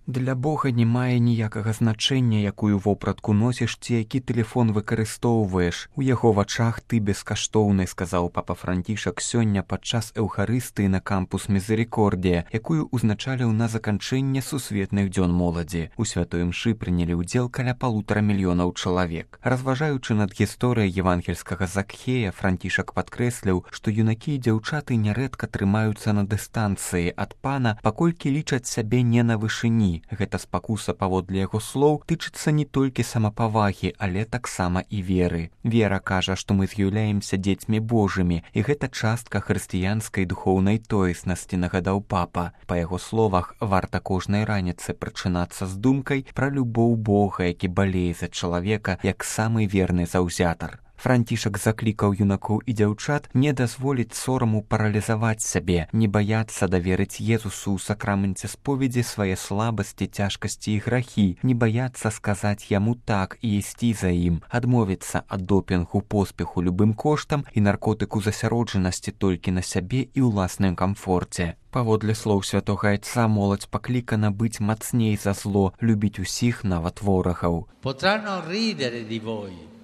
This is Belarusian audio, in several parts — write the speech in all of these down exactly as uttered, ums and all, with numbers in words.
Для Бога не мае ніякага значэння, якую вопратку носіш ці які тэлефон выкарыстоўваеш. У яго вачах ты бескаштоўны, сказаў папа Францішак сёння падчас эўхарыстыі на кампус Мізерікордія, якую узначаліў на заканчэнне сусветных дзён моладзі. У святой імшы прынялі ўдзел каля палутара мільёнаў чалавек. Разважаючы над гісторыяй евангельскага Закхея, Францішак падкрэсліў, што юнакі і дзяўчаты нярэдка трымаюцца на дыстанцыі ад пана, паколькі лічаць сябе не на вышыні. Гэта спакуса, паводле яго слоў, тычыцца не толькі самапавагі, але таксама і веры. Вера кажа, што мы з'яўляемся дзецьмі Божымі, і гэта частка хрысціянскай духоўнай тоеснасці, нагадаў папа. Па яго словах, варта кожнай раніцы прачынацца з думкай пра любоў Бога, які балее за чалавека, як самы верны заўзятар. Францішак заклікаў юнакоў і дзяўчат не дазволіць сораму паралізаваць сябе, не баяцца даверыць Езусу ў сакраменце споведзі свае слабасці, цяжкасці і грахі, не баяцца сказаць яму так і ісці за ім, адмовіцца ад допінгу, поспеху любым коштам і наркотыку засяроджанасці толькі на сябе і ўласным камфорце. Паводле слоў святога Айца, моладзь паклікана быць мацней за зло, любіць усіх, нават ворагаў. Potranno ridere di voi,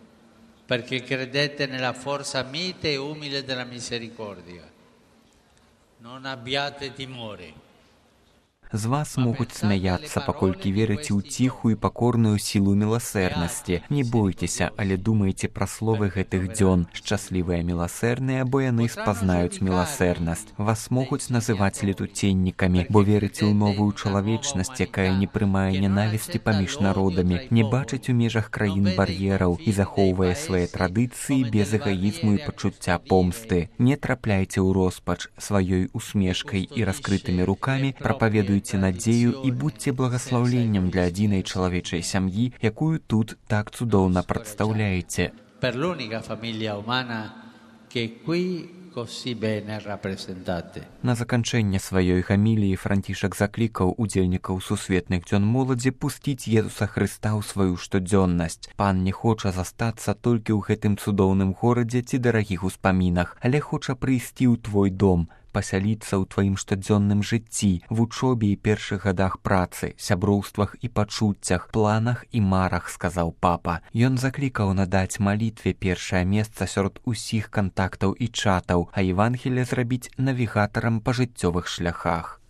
perché credete nella forza mite e umile della misericordia. Non abbiate timore. З вас могуць смяяцца, паколькі верыце ў ціхую і пакорную сілу міласэрнасці. Не бойцеся, але думайце пра словы гэтых дзён. Шчаслівыя міласэрныя, бо яны спазнаюць міласэрнасць. Вас могуць называць летуценнікамі, бо верыце ў новую чалавечнасць, якая не прымае ненавісці паміж народамі, не бачыць у межах краін бар'ераў і захоўвае свае традыцыі без эгаізму і пачуцця помсты. Не трапляйце ў роспач, сваёй усмешкай і раскрытымі рукамі прапаведуйце надзею і будьце благаслаўленнем для адзінай чалавечай сям'і, якую тут так цудоўна прадстаўляеце. Per l'unica famiglia umana che qui così bene rappresentate. На заканчэнне сваёй гаміліі Францішак заклікаў удзельнікаў сусветных дзён моладзі пусціць Езуса Хрыста ў сваю штодзённасць. Пан не хоча застацца толькі ў гэтым цудоўным горадзе ці дарагіх успамінах, але хоча прыйсці ў твой дом, пасяліцца ў тваім штодзённым жыцці, вучобе і першых гадах працы, сяброўствах і пачуццях, планах і марах, сказаў папа. Ён заклікаў надаць малітве першае месца сярод усіх кантактаў і чатаў, а Евангелие зрабіць навігатарам па жыццёвых шляхах.